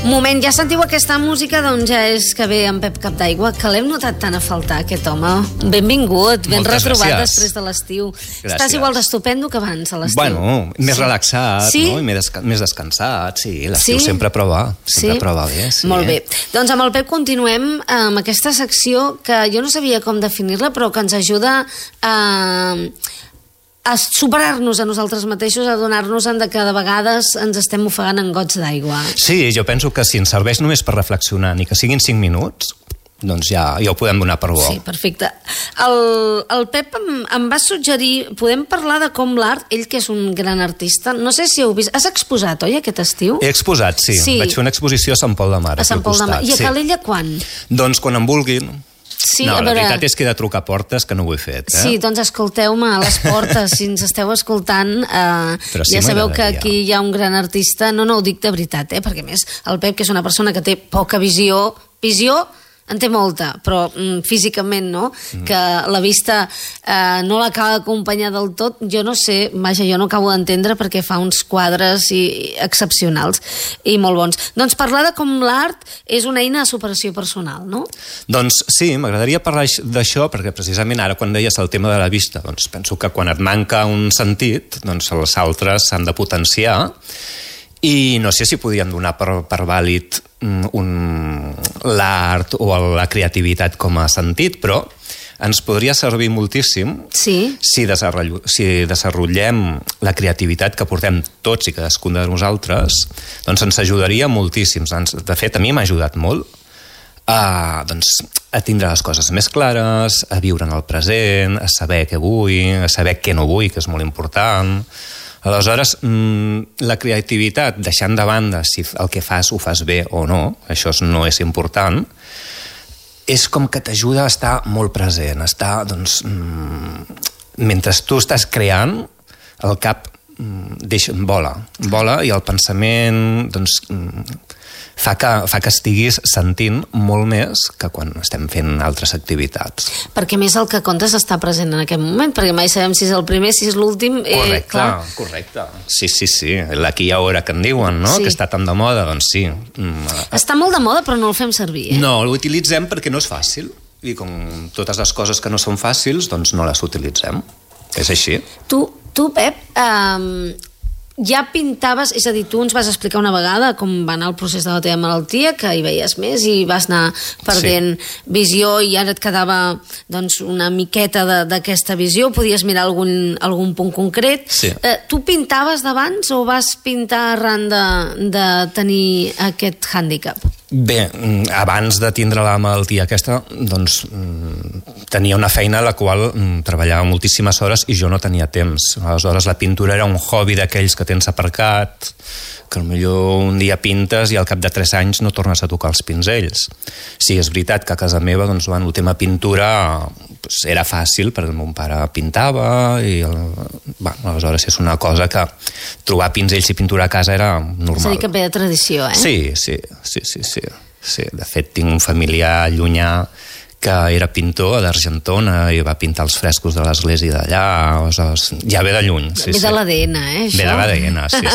Moment, ja sentiu aquesta música, doncs ja és que ve en Pep Capd'Aigua, que l'hem notat tant a faltar, aquest home. Benvingut, ben Moltes retrobat gràcies. després de l'estiu. Gràcies. Estàs igual d'estupendo que abans, a l'estiu. Bueno, més relaxat, Sí? no? I més descansat, sí. L'estiu sempre prova bé. Sí. Molt bé. Doncs amb el Pep continuem amb aquesta secció que jo no sabia com definir-la, però que ens ajuda a superar-nos a nosaltres mateixos, a donar-nos-en de que de vegades ens estem ofegant en gots d'aigua. Sí, jo penso que si ens serveix només per reflexionar, ni que siguin 5 minuts, doncs ja ho podem donar per bo. Sí, perfecte. El Pep em va suggerir, podem parlar de com l'art, ell que és un gran artista, no sé si heu vist, has exposat, oi, aquest estiu? He exposat, sí. Vaig fer una exposició a Sant Pol de Mar. A Sant Pol de Mar. I a Calella quan? Doncs quan em vulguin. Sí, no, la veritat és que he de trucar a portes que no ho he fet. Sí, doncs escolteu-me a les portes, si ens esteu escoltant, sí, ja sabeu que aquí hi ha un gran artista, no ho dic de veritat, perquè a més el Pep, que és una persona que té poca visió en té molta, però físicament no, que la vista no l'acaba d'acompanyar del tot, jo no sé, vaja, jo no acabo d'entendre perquè fa uns quadres excepcionals i molt bons. Doncs parlar de com l'art és una eina de superació personal, no? Doncs sí, m'agradaria parlar d'això perquè precisament ara quan deies el tema de la vista, doncs penso que quan et manca un sentit, doncs els altres s'han de potenciar i no sé si podien donar per vàlid l'art o la creativitat com a sentit, però ens podria servir moltíssim si desenvolupem la creativitat que portem tots i cadascun de nosaltres, doncs ens ajudaria moltíssim. De fet, a mi m'ha ajudat molt a tindre les coses més clares, a viure en el present, a saber què vull, a saber què no vull, que és molt important. Aleshores, la creativitat, deixant de banda si el que fas ho fas bé o no, això no és important, és com que t'ajuda a estar molt present, a estar, doncs, mentre tu estàs creant, el cap vola i el pensament, doncs, fa que estiguis sentint molt més que quan estem fent altres activitats. Perquè més el que comptes està present en aquest moment, perquè mai sabem si és el primer, si és l'últim. Correcte. Sí. L'aquí i ara que en diuen, no? Que està tan de moda, doncs sí. Està molt de moda, però no el fem servir, No, l'utilitzem perquè no és fàcil. I com totes les coses que no són fàcils, doncs no les utilitzem. És així. Tu, Pep, ja pintaves, és a dir, tu ens vas explicar una vegada com va anar el procés de la teva malaltia, que hi veies més i vas anar perdent visió i ara et quedava doncs, una miqueta d'aquesta visió, podies mirar algun punt concret. Tu pintaves d'abans o vas pintar arran de tenir aquest hàndicap? Bé, abans de tindre la malaltia aquesta, doncs tenia una feina a la qual treballava moltíssimes hores i jo no tenia temps. Aleshores la pintura era un hobby d'aquells que tens aparcat, que potser un dia pintes i al cap de 3 anys no tornes a tocar els pinzells. Sí, és veritat que a casa meva doncs, el tema pintura era fàcil perquè el meu pare pintava i aleshores és una cosa que trobar pinzells i pintura a casa era normal. És a dir, que ve de tradició, Sí. De fet, tinc un familiar llunyà que era pintor d'Argentona i va pintar els frescos de l'església d'allà, aleshores ja ve de lluny. Ve de l'ADN, això? Ve de l'ADN, sí.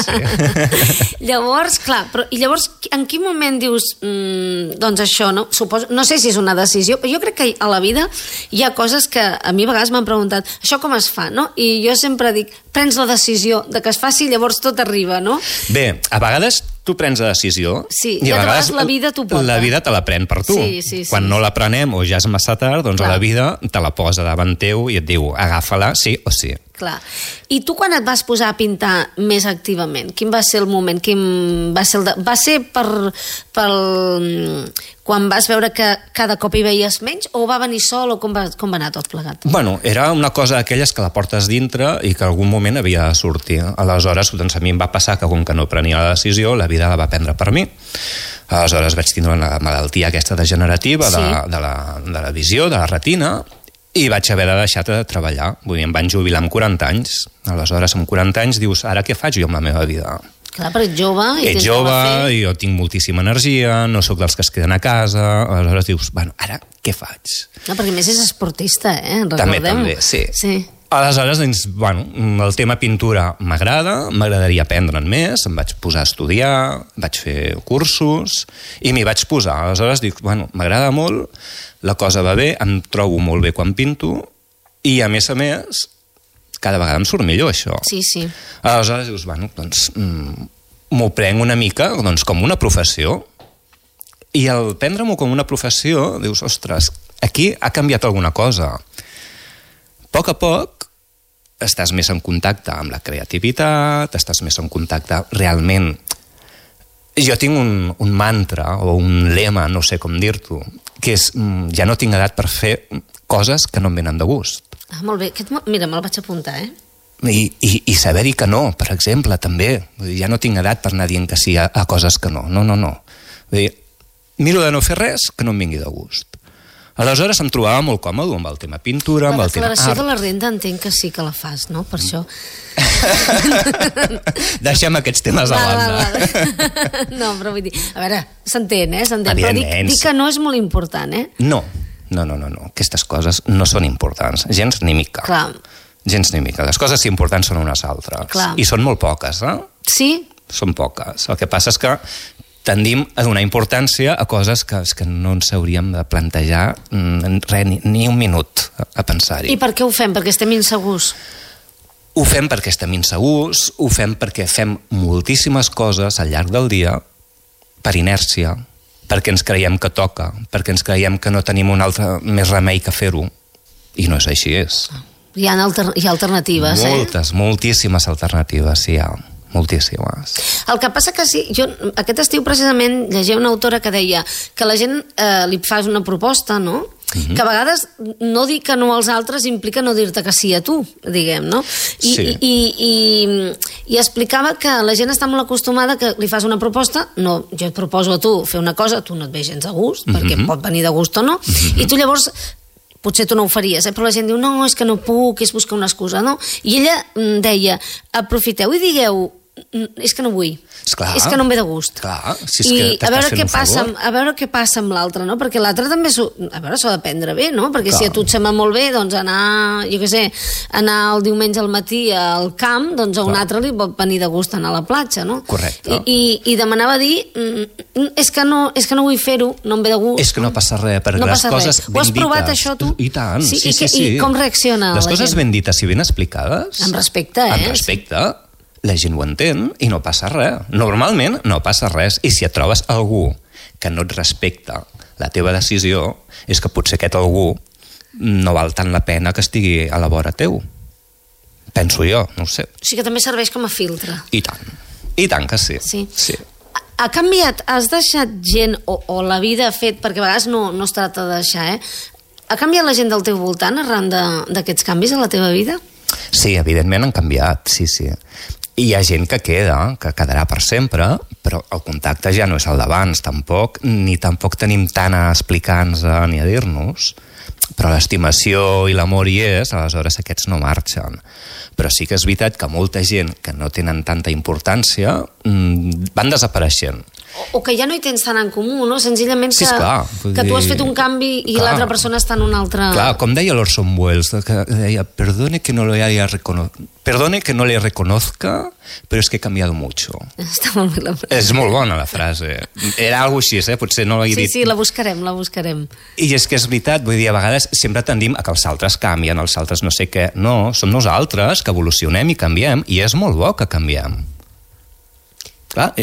Llavors, clar, i llavors en quin moment dius doncs això, no? No sé si és una decisió, però jo crec que a la vida hi ha coses que a mi a vegades m'han preguntat això com es fa, no? I jo sempre dic, prens la decisió de que es faci i llavors tot arriba, no? Bé, a vegades tu prens la decisió i a vegades la vida t'ho porta. La vida te la pren per tu. Quan no la prenem o ja és massa tard, doncs la vida te la posa davant teu i et diu agafa-la sí o sí. Clar. I tu quan et vas posar a pintar més activament? Quin va ser el moment? Va ser quan vas veure que cada cop hi veies menys o va venir sol o com va anar tot plegat? Bueno, era una cosa d'aquelles que la portes dintre i que algun moment havia de sortir. Aleshores, doncs a mi em va passar que com que no prenia la decisió, la vida la va prendre per mi. Aleshores vaig tindre una malaltia aquesta degenerativa de la visió, de la retina, i vaig haver de deixar de treballar. Vull dir, em van jubilar amb 40 anys. Aleshores, amb 40 anys dius, ara què faig jo amb la meva vida? Clar, però ets jove i tens jove i jo tinc moltíssima energia, no sóc dels que es queden a casa, aleshores dius, bueno, ara què faig? No, perquè més és esportista, recordem. També, sí. Aleshores, doncs, bueno, el tema pintura m'agradaria aprendre'n més, em vaig posar a estudiar, vaig fer cursos i m'hi vaig posar. Aleshores dic, bueno, m'agrada molt, la cosa va bé, em trobo molt bé quan pinto i, a més, cada vegada em surt millor, això. Sí, sí. Aleshores dius, bueno, doncs m'ho prenc una mica doncs, com una professió i al prendre-m'ho com una professió dius, ostres, aquí ha canviat alguna cosa. A poc estàs més en contacte amb la creativitat, estàs més en contacte realment. Jo tinc un mantra o un lema, no sé com dir-t'ho, que és, ja no tinc edat per fer coses que no em venen de gust. Ah, molt bé. Mira, me'l vaig apuntar, I saber dir que no, per exemple, també. Ja no tinc edat per anar dient que sí a coses que no. No. Vull dir, miro de no fer res que no em vingui de gust. Aleshores em trobava molt còmode amb el tema pintura, amb el tema art. La declaració de la renda entenc que sí que la fas, no? Per això... Deixem aquests temes a banda. No, però vull dir... A veure, s'entén, s'entén. Però dic que no és molt important, No. Aquestes coses no són importants. Gens ni mica. Clar. Gens ni mica. Les coses importants són unes altres. Clar. I són molt poques, Sí? Són poques. El que passa és que tendim a donar importància a coses que no ens hauríem de plantejar ni un minut a pensar-hi. I per què ho fem? Perquè estem insegurs? Ho fem perquè estem insegurs, ho fem perquè fem moltíssimes coses al llarg del dia per inèrcia, perquè ens creiem que toca, perquè ens creiem que no tenim un altre més remei que fer-ho. I no és així, Hi ha alternatives, moltíssimes alternatives, sí, hi ha. Moltíssimes. El que passa que sí, jo aquest estiu precisament llegia una autora que deia que la gent li fas una proposta, no? Que a vegades no dir que no als altres implica no dir-te que sí a tu, diguem, no? I explicava que la gent està molt acostumada que li fas una proposta, no, jo et proposo a tu fer una cosa, tu no et ve gens de gust, perquè pot venir de gust o no, i tu llavors potser tu no ho faries, però la gent diu no, és que no puc, és buscar una excusa, no? I ella deia, aprofiteu i digueu és que no vull, esclar, és que no em ve de gust. Clar, si és I que t'estàs fent un favor. A veure què passa amb l'altre, no? Perquè l'altre també s'ho ha de prendre bé, no? Perquè si a tu et sembla molt bé, doncs anar, jo què sé, anar el diumenge al matí al camp, doncs a un altre li pot venir de gust anar a la platja, no? Correcte. I demanava dir és que no vull fer-ho, no em ve de gust. És que no passa res, perquè les coses ben dites... Ho has provat, això, tu? I tant, sí. I com reacciona la gent? Les coses ben dites i ben explicades... Amb respecte, Amb respecte... La gent ho entén i no passa res. Normalment no passa res. I si et trobes algú que no et respecta la teva decisió, és que potser aquest algú no val tant la pena que estigui a la vora teu. Penso jo, no ho sé. O sigui que també serveix com a filtre. I tant que sí. Sí. Ha canviat? Has deixat gent o la vida ha fet, perquè a vegades no es tracta de deixar, ha canviat la gent del teu voltant arran d'aquests canvis a la teva vida? Sí, evidentment han canviat, sí. I hi ha gent que quedarà per sempre, però el contacte ja no és el d'abans, tampoc, ni tampoc tenim tant a explicar-nos ni a dir-nos, però l'estimació i l'amor hi és, aleshores aquests no marxen. Però sí que és veritat que molta gent que no tenen tanta importància van desapareixent. O que ja no hi tens tant en comú, no? Senzillament que tu has fet un canvi i l'altra persona està en un altre... Clar, com deia l'Orson Welles, que deia, perdone que no le reconozca, però és que he canviado mucho. Està molt bé la frase. És molt bona la frase. Era alguna cosa així, potser no l'he dit. Sí, la buscarem. I és que és veritat, vull dir, a vegades sempre tendim a que els altres canvien, els altres no sé què. No, som nosaltres que evolucionem i canviem, i és molt bo que canviem. Clar,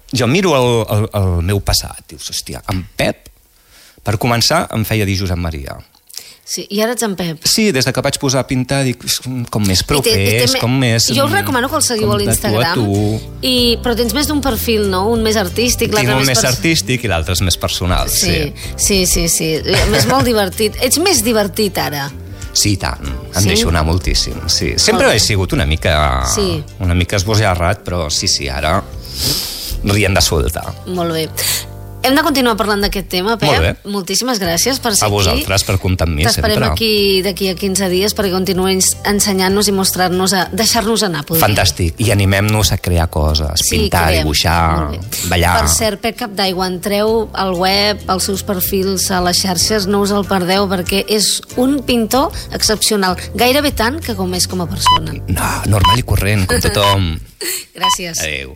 jo miro el meu passat, dius, hòstia, en Pep, per començar, em feia dir Josep Maria. Sí, i ara ets en Pep. Sí, des que vaig posar a pintar, dic, com més propers, com més... Jo us recomano que el seguiu a l'Instagram, però tens més d'un perfil, no? Un més artístic, l'altre més... Tinc un més artístic i l'altre és més personal, sí. Sí. És molt divertit. Ets més divertit ara. Sí, tant. Em deixo anar moltíssim, sí. Sempre he sigut una mica esbojarrat, però sí, ara... rient de solta. Molt bé. Hem de continuar parlant d'aquest tema, Pep. Molt bé. Moltíssimes gràcies per ser aquí. A vosaltres, per comptar amb mi, sempre. T'esperem aquí d'aquí a 15 dies perquè continuïs ensenyant-nos i mostrar-nos, deixar-nos anar. Fantàstic. I animem-nos a crear coses, pintar, dibuixar, ballar. Per cert, Pep Capd'Aigua, entreu al web, als seus perfils, a les xarxes, no us el perdeu perquè és un pintor excepcional. Gairebé tant que com és com a persona. No, normal i corrent, com tothom. Gràcies. Adéu.